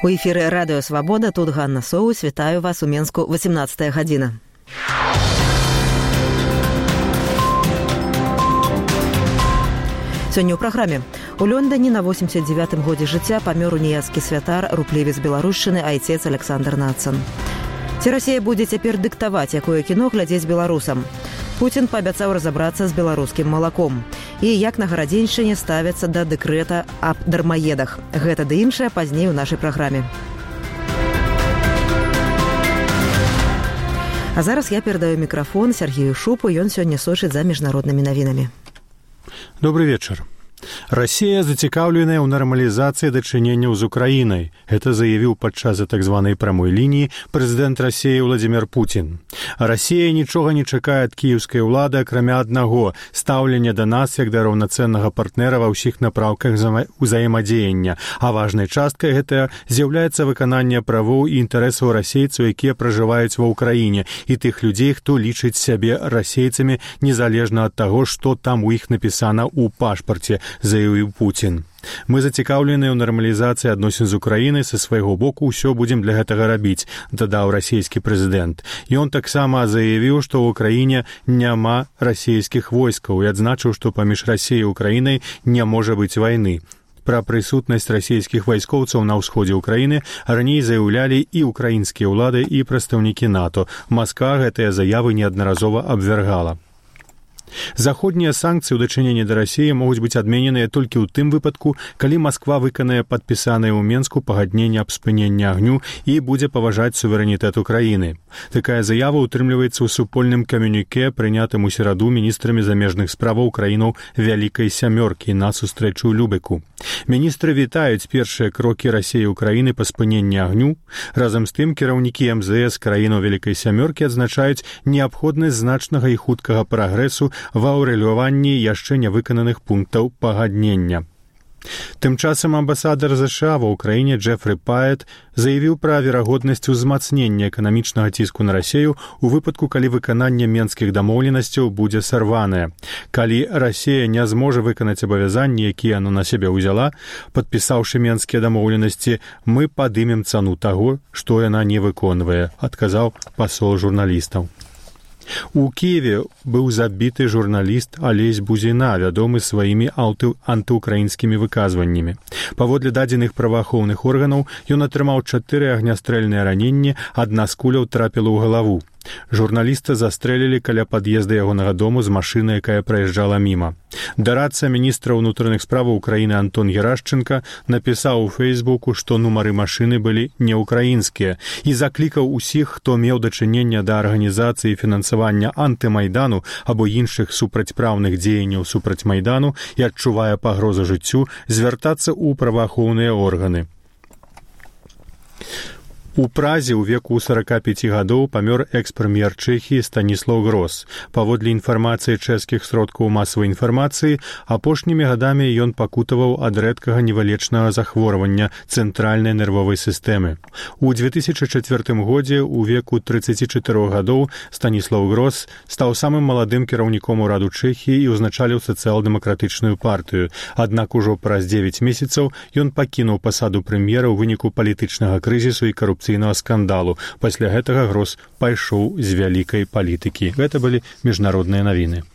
У эфіры Радыё Свабода, тут Ганна Соус, вітаю вас у Менску, 18 гадзіна. Сёння ў праграме. У Лондоне на 89-м годзе жыцця памёр уніяцкі святар, руплівец беларушчыны, айцец Александр Нацан. Ці Расія будзе цяпер дыктаваць, якое кіно глядзець беларусам? Пуцін паабяцаў разабрацца з беларускім малаком. І як на гарадзеншчыне ставяцца да дэкрэта аб дармаедах. Гэта ды іншае пазней у нашай праграме. А зараз я перадаю мікрафон Сергею Шупу, ён сёння сочыць за міжнароднымі навінамі. Добрый вечер. Россия зацікаўленая ў нармалізацыі дачыненняў з Украінай. Гэта заявіў падчас так званай прамой лініі прэзідэнт Расіі Владзімір Пуцін. Расія нічога не чакае ад кіеўскай улады, акрамя аднаго – стаўлення да нас як да раўнацэннага партнера ва ўсіх напраўках узаемадзеяння. А важнай часткай гэтага з'яўляецца выкананне правоў і інтарэсаў расейцаў, якія пражываюць ва ўкраіне, і тых людзей, хто лічыць сябе расейцамі незалежна ад таго, што там у іх напісана ў пашпарце, заявіў Пуцін. Мы зацікаўленыя ў нармалізацыі адносін з Украінай, са свайго боку ўсё будзем для гэтага рабіць, дадаў расійскі прэзідэнт. Ён таксама заявіў, што ў Украіне няма расійскіх войскаў і адзначыў, што паміж Расіяй і Украінай не можа быць вайны. Пра прысутнасць расійскіх вайскоўцаў на ўсходзе Украіны раней заяўлялі і украінскія ўлады, і прадстаўнікі НАТО. Масква гэтыя заявы неаднаразова абвяргала. Заходнія санкцыі ў дачыненні да Расіі могуць быць адмененыя толькі ў тым выпадку, калі Масква выканае падпісанае ў Менску пагадненне аб спыненні агню і будзе паважаць суверэнітэт Украіны. Такая заява ўтрымліваецца ў супольным камюніке, прынятым у сераду міністрамі замежных справаў краінаў Вялікай сямёркі на сустрэчу ў Любеку. Міністры вітаюць першыя крокі Расіі і Украіны па спыненні агню. Разам з тым, кіраўнікі МЗС краінаў Вялікай сямёркі адзначаюць неабходнасць значнага і хуткага прагрэсу ва ўрэгуляванні яшчэ нявыкананых пунктаў пагаднення. Тым часам амбасадар США ва ўкраіне Джефры Паэт заявіў пра верагоднасць узмацнення эканамічнага ціску на Расію у выпадку, калі выкананне менскіх дамоўленасцяў будзе сарванае. Калі Расія не зможа выканаць абавязанні, якія яна на сябе ўзяла, падпісаўшы менскія дамоўленасці, мы падымем цану таго, што яна не выконвае, адказаў пасол журналістаў. У Киеве быў забіты журналіст Алесь Бузіна, вядомы сваімі антыукраінскімі выказваннямі. Паводле дадзеных праваахоўных органаў, ён атрымаў 4 агнястрэльныя раненні, адна з куляў трапіла ў галаву. Журналіста застрэлілі каля пад'езда ягонага дому з машыны, якая праязджала міма. Дарадца міністра ўнутраных справаў Украіны Антон Герашченка напісаў у Фейсбуку, што нумары машыны былі неукраінскія, і заклікаў усіх, хто меў дачынення да арганізацыі фінансавання антымайдану або іншых супрацьпраўных дзеянняў супраць майдану і адчувае пагрозу жыццю, звяртацца ў праваахоўныя органы. У Празе ў веку 45 гадоў памёр экс-прэм'ер Чэхіі Станіслаў Грос. Паводле інфармацыі чэшскіх сродкаў масавай інфармацыі, апошнімі гадамі ён пакутаваў ад рэдкага невылечнага захворвання цэнтральнай нервовай сістэмы. У 2004 годзе ў веку 34 гадоў Станіслаў Грос стаў самым маладым кіраўніком ураду Чэхіі і ўзначаліў сацыял-дэмакратычную партыю. Аднак ужо праз 9 месяцаў ён пакінуў пасаду прэм'ера ў выніку палітычнага крызісу і карупцыйнага скандалу. Пасля гэтага Грос пайшоў з вялікай палітыкі. Гэта былі міжнародныя навіны.